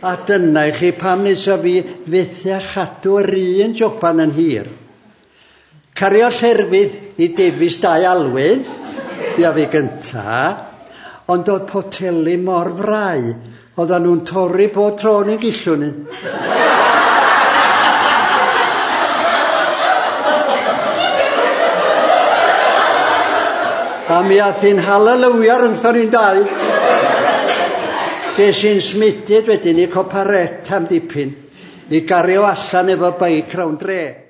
A dyna i chi pam nesa fi fethu a chadw yr un joban yn hir. Cario llerfydd i Davies Dau Alwyn, ia fi gynta, ond oedd poteli mor frau, oedden nhw'n torri bob tro ni'n gillwn un. A mi ath hi'n halelwia rhyngthon ni'n dau. Ges i'n smudid wedyn i Coparet am dipyn, i gario allan efo beic rownd dre.